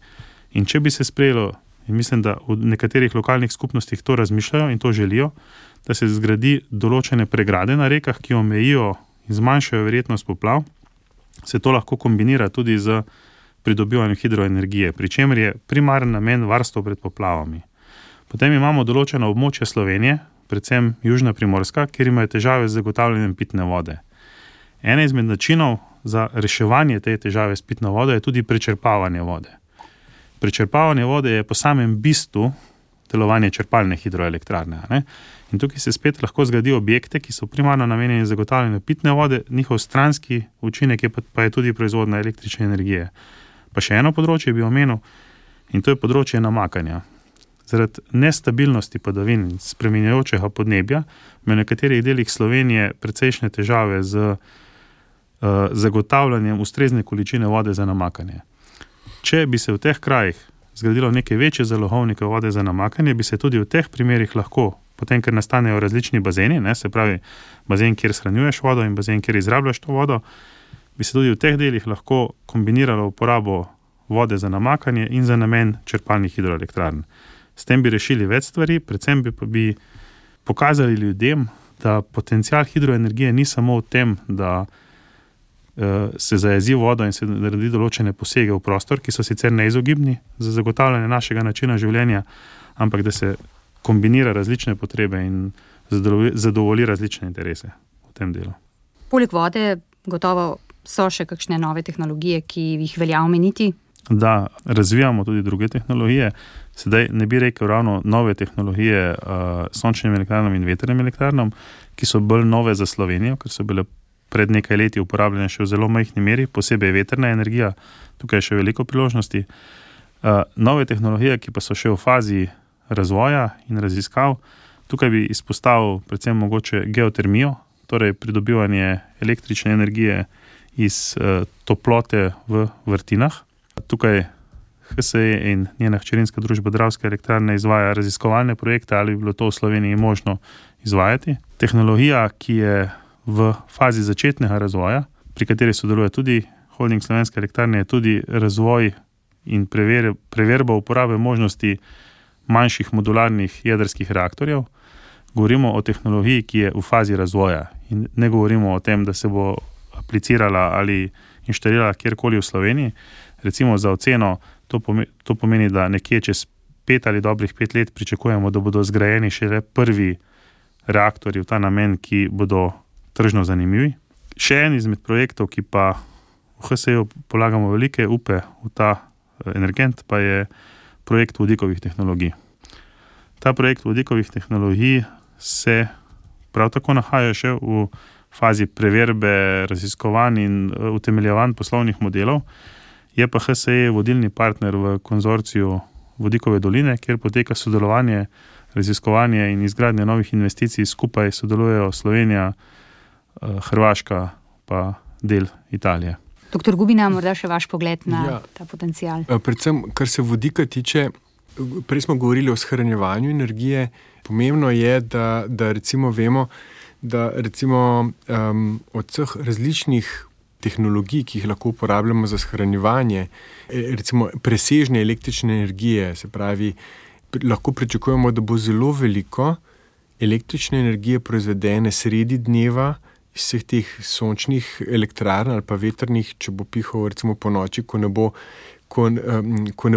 In če bi se sprejelo, in mislim, da v nekaterih lokalnih skupnostih to razmišljajo in to želijo, da se zgradi določene pregrade na rekah, ki omejijo in zmanjšajo verjetnost poplav, se to lahko kombinira tudi z pridobivanjem hidroenergije, pri čemer je primaren namen varstvo pred poplavami. Potem imamo določena območja Slovenije, predvsem južna Primorska, kjer imajo težave z zagotavljanjem pitne vode. Ena izmed načinov za reševanje te težave s pitno vodo je tudi prečrpavanje vode. Prečrpavanje vode je po samem bistvu delovanje črpalne hidroelektrarne. Ne? In tukaj se spet lahko zgradi objekte, ki so primarno namenjeni zagotavljanju pitne vode, njihov stranski učinek pa je tudi proizvodnja električne energije. Pa še eno področje bi omenil, in to je področje namakanja. Zaradi nestabilnosti padavin in spreminjajočega podnebja ima v nekaterih delih Slovenije precejšnje težave z zagotavljanjem ustrezne količine vode za namakanje. Če bi se v teh krajih zgradilo neke večje zalogovnike vode za namakanje, bi se tudi v teh primerih lahko, potem, ker nastanejo različni bazeni, se pravi bazen, kjer shranjuješ vodo, in bazen, kjer izrabljaš to vodo, bi se tudi v teh delih lahko kombiniralo uporabo vode za namakanje in za namen črpalnih hidroelektrarn. S tem bi rešili več stvari, predvsem bi pokazali ljudem, da potencial hidroenergije ni samo v tem, da se zajezi vodo in se naredi določene posege v prostor, ki so sicer neizogibni za zagotavljanje našega načina življenja, ampak da se kombinira različne potrebe in zadovolji različne interese v tem delu. Poleg vode gotovo so še kakšne nove tehnologije, ki jih velja omeniti? Da, razvijamo tudi druge tehnologije. Sedaj ne bi rekel ravno nove tehnologije sončnim elektrarnam in vetrnim elektrarnam, ki so bolj nove za Slovenijo, ker so bile pred nekaj leti uporabljene še v zelo majhni meri, posebej vetrna energija, tukaj je še veliko priložnosti. Nove tehnologije, ki pa so še v fazi razvoja in raziskav, tukaj bi izpostavil predvsem mogoče geotermijo, torej pridobivanje električne energije iz toplote v vrtinah. Tukaj HSE in njena hčerinska družba Dravske elektrarne izvaja raziskovalne projekte, ali bi bilo to v Sloveniji možno izvajati. Tehnologija, ki je v fazi začetnega razvoja, pri kateri sodeluje tudi Holding Slovenske elektrarne, je tudi razvoj in preverba uporabe možnosti manjših modularnih jedrskih reaktorjev. govorimo o tehnologiji, ki je v fazi razvoja in ne govorimo o tem, da se bo aplicirala ali inštalirala kjerkoli v Sloveniji. Recimo za oceno to pomeni, da nekje čez 5 ali dobrih 5 let pričakujemo, da bodo zgrajeni šele prvi reaktorji v ta namen, ki bodo tržno zanimivi. Še en izmed projektov, ki pa v HSE polagamo velike upe v ta energent, pa je projekt vodikovih tehnologij. Ta projekt vodikovih tehnologij se prav tako nahaja še v fazi preverbe, raziskovanj in utemeljevanj poslovnih modelov. Je pa HSE vodilni partner v konzorciju Vodikove doline, kjer poteka sodelovanje, raziskovanje in izgradnje novih investicij. Skupaj sodelujejo Slovenija, Hrvaška pa del Italije. Doktor Gubina, morda še vaš pogled na ta potencial. Predvsem, kar se vodika tiče, prej smo govorili o shranjevanju energije. Pomembno je, da recimo vemo, da recimo od vseh različnih tehnologij, ki jih lahko uporabljamo za shranjevanje, recimo presežne električne energije, se pravi, lahko pričakujemo, da bo zelo veliko električne energije proizvedene sredi dneva iz vseh teh sončnih elektrarn ali pa vetrnih, če bo pihal recimo po noči, ko ne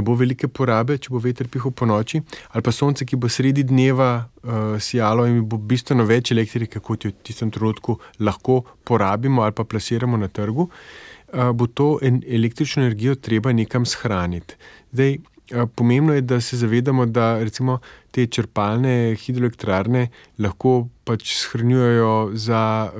bo velike porabe, če bo veter pihal po noči, ali pa sonce, ki bo sredi dneva sijalo in bo bistveno več elektrike, kot jo v tistem trenutku lahko porabimo ali pa plasiramo na trgu, bo to električno energijo treba nekam shraniti. Zdaj, pomembno je, da se zavedamo, da recimo te črpalne hidroelektrarne lahko pač shranjujejo za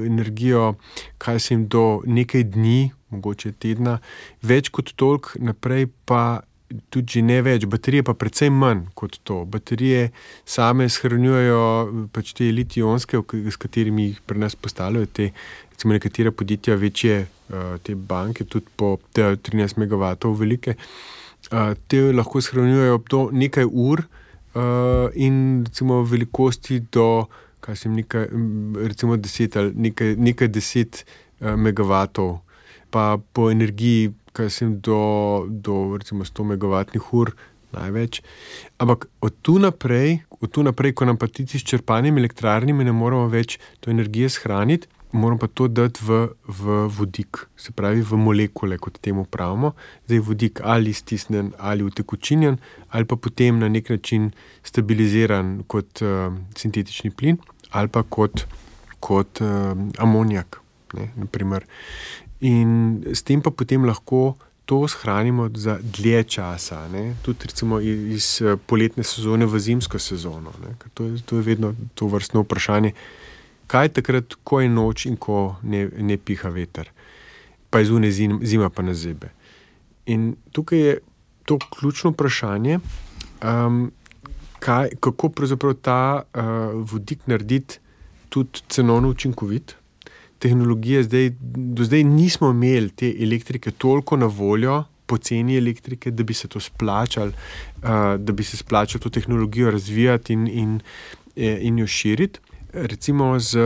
energijo, kaj se jim do nekaj dni, mogoče tedna, več kot toliko, naprej pa tudi že ne več. Baterije pa precej manj kot to. Baterije same shranjujejo pač te litij-ionske, s katerimi jih pri nas postavljajo te, recimo nekatera podjetja večje, te banke, tudi po 13 MW velike, te lahko shranjujejo do nekaj ur in recimo velikosti do recimo 10 ali nekaj 10 megawatov, pa po energiji do recimo 100 megavatnih ur največ. Ampak od tu naprej, ko nam pa ti s črpalnimi elektrarnami ne moramo več to energije shraniti, moramo pa to dati v vodik, se pravi v molekule, kot temu pravimo. Zdaj vodik ali stisnen ali utekočinjen, ali pa potem na nek način stabiliziran kot sintetični plin, ali pa kot amonijak, naprimer. In s tem pa potem lahko to shranimo za dlje časa, tudi recimo iz poletne sezone v zimsko sezono. To je vedno to vrstno vprašanje. Kaj takrat, ko je noč in ko ne piha veter, pa je zunaj zima pa nas zebe. In tukaj je to ključno vprašanje, kako pravzaprav ta vodik narediti tudi cenovno učinkovit. Tehnologije do zdaj nismo imeli te elektrike toliko na voljo, poceni elektrike, da bi se to splačalo, da bi se splačalo to tehnologijo razvijati in jo širiti. Recimo z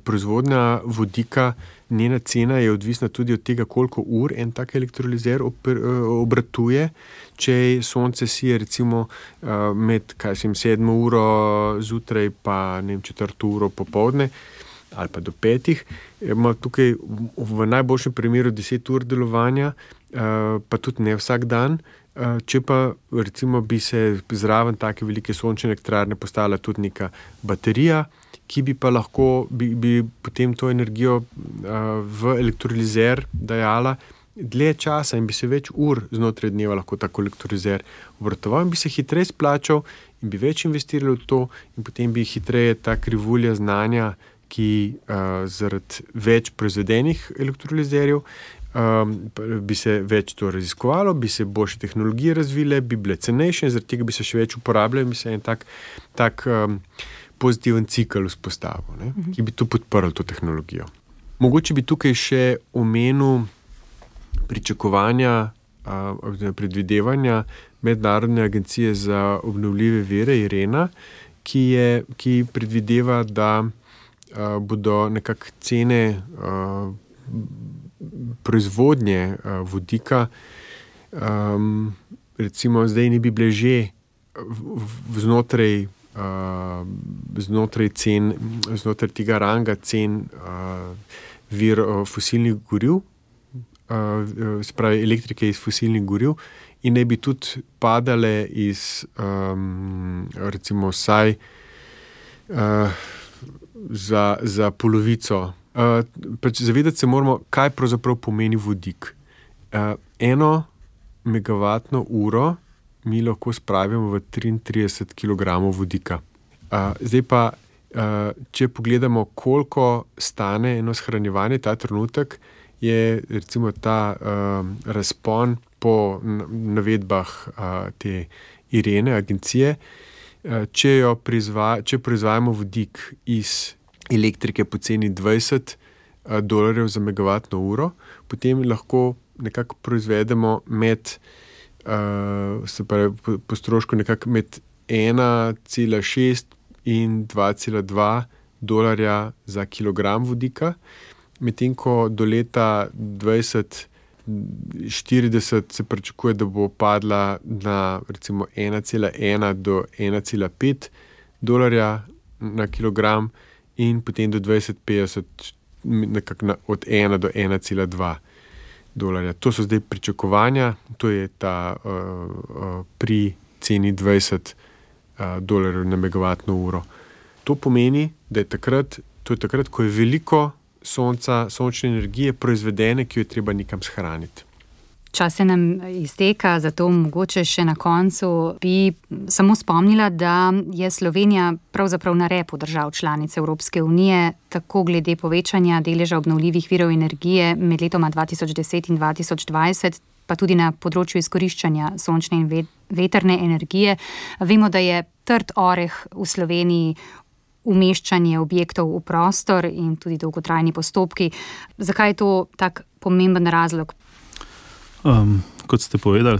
proizvodnja vodika, njena cena je odvisna tudi od tega, koliko ur en tak elektrolizer obratuje. Če sonce sije recimo med 7 uro zjutraj pa 4 uro popoldne ali pa do 5, ima tukaj v najboljšem primeru 10 ur delovanja, pa tudi ne vsak dan. Če pa recimo bi se zraven take velike sončne elektrarne postavila tudi neka baterija, ki bi pa lahko bi potem to energijo v elektrolizer dajala dlje časa in bi se več ur znotraj dneva lahko tako elektrolizer obratoval in bi se hitreje splačal in bi več investirali v to in potem bi hitreje ta krivulja znanja, ki zaradi več proizvedenih elektrolizerjev bi se več to raziskovalo, bi se boljše tehnologije razvile, bi bile cenejše in zaradi tega bi se še več uporabljali in bi se en tak pozitiven cikel vzpostavil, ki bi to podprl, to tehnologijo. Mogoče bi tukaj še omenil pričakovanja, predvidevanja Mednarodne agencije za obnovljive vire IRENA, ki predvideva, da bodo nekako cene proizvodnje vodika, recimo zdaj ne bi bile že znotraj znotraj tega ranga cen vir fosilnih goriv, se pravi elektrike iz fosilnih goriv, in naj bi tudi padale iz recimo vsaj za polovico. Zavedati se moramo, kaj pravzaprav pomeni vodik. 1 megavatno uro mi lahko spravimo v 33 kg vodika. Zdaj pa, če pogledamo, koliko stane eno shranjevanje ta trenutek, je recimo ta razpon po navedbah te Irene, agencije, če proizvajamo vodik iz elektrike po ceni $20 za megavatno uro, potem lahko nekako proizvedemo se pravi, po strošku nekako med 1,6 in $2,2 za kilogram vodika, medtem ko do leta 2040 se pričakuje, da bo padla na recimo 1,1 do $1,5 na kilogram in potem do 2050 nekako od 1 do $1,2. To so zdaj pričakovanja, to je ta pri ceni $20 na megavatno uro. To pomeni, da je takrat, ko je veliko sončne energije proizvedene, ki jo je treba nekam shraniti. Čas se nam izteka, zato mogoče še na koncu bi samo spomnila, da je Slovenija pravzaprav na repu držav članic Evropske unije, tako glede povečanja deleža obnovljivih virov energije med letoma 2010 in 2020, pa tudi na področju izkoriščanja sončne in vetrne energije. Vemo, da je trd oreh v Sloveniji umeščanje objektov v prostor in tudi dolgotrajni postopki. Zakaj je to tak pomemben razlog? Kot ste povedali,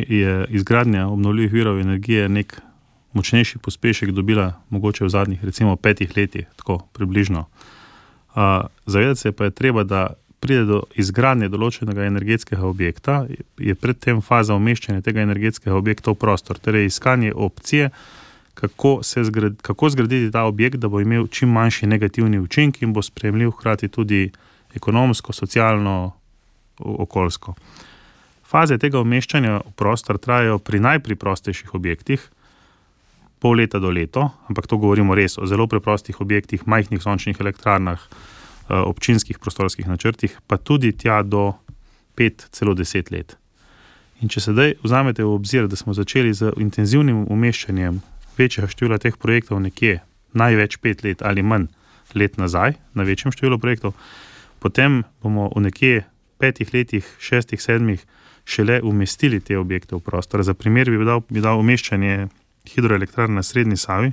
je izgradnja obnovljivih virov energije nek močnejši pospešek dobila mogoče v zadnjih recimo 5 letih, tako približno. Zavedati se pa je treba, da pride do izgradnje določenega energetskega objekta, je predtem faza umeščanja tega energetskega objekta v prostor, torej iskanje opcije, kako zgraditi ta objekt, da bo imel čim manjši negativni učinek in bo sprejemljiv hkrati tudi ekonomsko, socialno, okoljsko. Faze tega umeščanja v prostor trajajo pri najpreprostejših objektih pol leta do leto, ampak to govorimo res o zelo preprostih objektih, majhnih sončnih elektrarnah, občinskih prostorskih načrtih, pa tudi tja do 5, celo 10 let. In če sedaj vzamete v obzir, da smo začeli z intenzivnim umeščanjem večjega števila teh projektov nekje največ 5 let ali manj let nazaj, na večjem številu projektov, potem bomo v nekje 5 letih, 6, 7 šele umestili te objekte v prostor. Za primer bi dal umeščanje hidroelektrarne na Srednji Savi,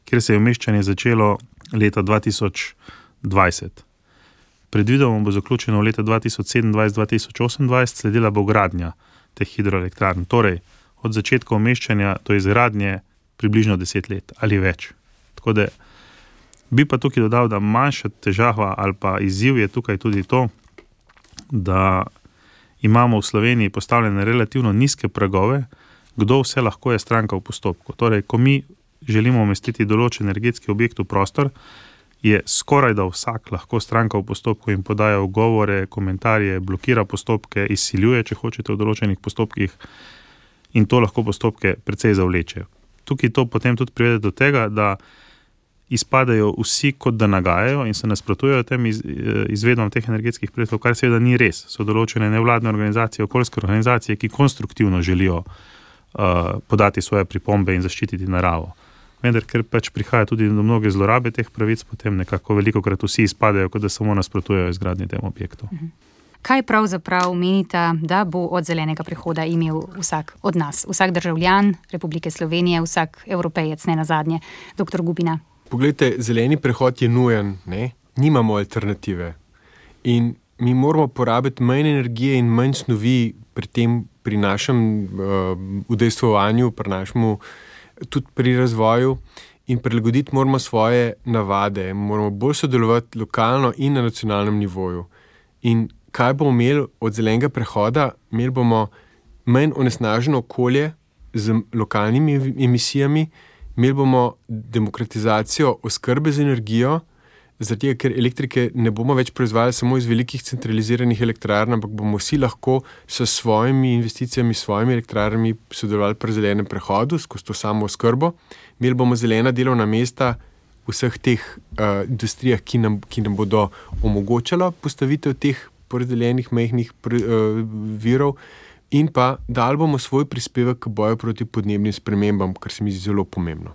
kjer se je umeščanje začelo leta 2020. Predvidoma bo zaključeno v leta 2027-2028, sledila bo gradnja teh hidroelektrarn. Torej, od začetka umeščanja do izgradnje približno 10 let ali več. Tako da bi pa tukaj dodal, da manjša težava ali pa izziv je tukaj tudi to, da imamo v Sloveniji postavljene relativno nizke pragove, kdo vse lahko je stranka v postopku. Torej, ko mi želimo umestiti določen energetski objekt v prostor, je skoraj da vsak lahko stranka v postopku in podaja ugovore, komentarje, blokira postopke, izsiljuje, če hočete, v določenih postopkih, in to lahko postopke precej zavleče. Tukaj to potem tudi privede do tega, da izpadajo vsi, kot da nagajajo in se nasprotujejo tem izvedbam teh energetskih projektov, kar seveda ni res. So določene nevladne organizacije, okoljske organizacije, ki konstruktivno želijo podati svoje pripombe in zaščititi naravo. Vendar, ker pač prihaja tudi do mnoge zlorabe teh pravic, potem nekako velikokrat vsi izpadajo, kot da samo nasprotujejo izgradnji tem objektu. Kaj pravzaprav menite, da bo od zelenega prehoda imel vsak od nas, vsak državljan Republike Slovenije, vsak Evropejec, ne nazadnje? Dr. Gubina. Poglejte, zeleni prehod je nujen, ne? Nimamo alternative. In mi moramo porabiti manj energije in manj snovi pri našem udejstvovanju, tudi pri razvoju, in prilagoditi moramo svoje navade. Moramo bolj sodelovati lokalno in na nacionalnem nivoju. In kaj bomo imeli od zelenega prehoda? Imeli bomo manj onesnaženo okolje z lokalnimi emisijami, Imeli bomo demokratizacijo oskrbe z energijo, zato ker elektrike ne bomo več proizvajali samo iz velikih centraliziranih elektrarn, ampak bomo vsi lahko s svojimi investicijami, s svojimi elektrarnami sodelovali pri zelenem prehodu, skozi to samo oskrbo. Imeli bomo zelena delovna mesta v vseh teh industrijah, ki nam bodo omogočala postavitev teh porazdeljenih majhnih virov, in pa dali bomo svoj prispevek k boju proti podnebnim spremembam, kar se mi zdi zelo pomembno.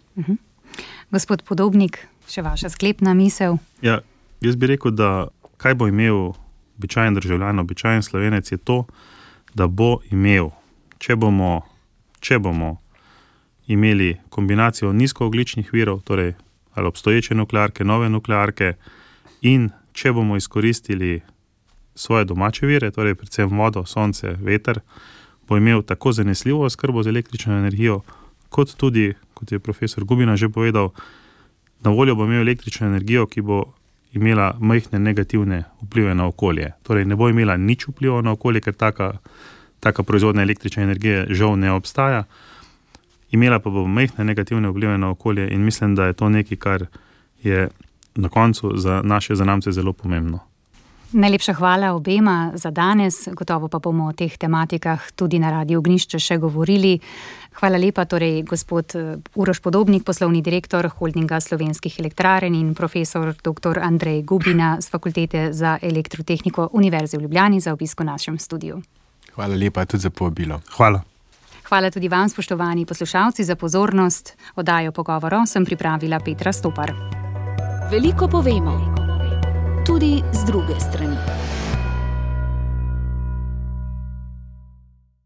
Gospod Podobnik, še vaša sklepna misel? Ja, jaz bi rekel, da kaj bo imel običajen državljan, običajen Slovenec, je to, da bo imel, če bomo imeli kombinacijo nizkoogljičnih virov, torej ali obstoječe nuklearke, nove nuklearke, in če bomo izkoristili svoje domače vire, torej predvsem vodo, sonce, veter, bo imel tako zanesljivo oskrbo z električno energijo, kot tudi, kot je profesor Gubina že povedal, na voljo bo imel električno energijo, ki bo imela majhne negativne vplive na okolje. Torej ne bo imela nič vpliva na okolje, ker taka proizvodnja električne energije žal ne obstaja. Imela pa bo majhne negativne vplive na okolje in mislim, da je to nekaj, kar je na koncu za naše zanamce zelo pomembno. Najlepša hvala obema za danes, gotovo pa bomo o teh tematikah tudi na Radiu Ognjišče še govorili. Hvala lepa torej gospod Uroš Podobnik, poslovni direktor Holdinga slovenskih elektrarn, in profesor dr. Andrej Gubina z Fakultete za elektrotehniko Univerze v Ljubljani za obisk v našem studiu. Hvala lepa tudi za povabilo. Hvala. Hvala tudi vam, spoštovani poslušalci, za pozornost. Oddajo Pogovor sem pripravila Petra Stopar. Veliko povemo, tudi z druge strani.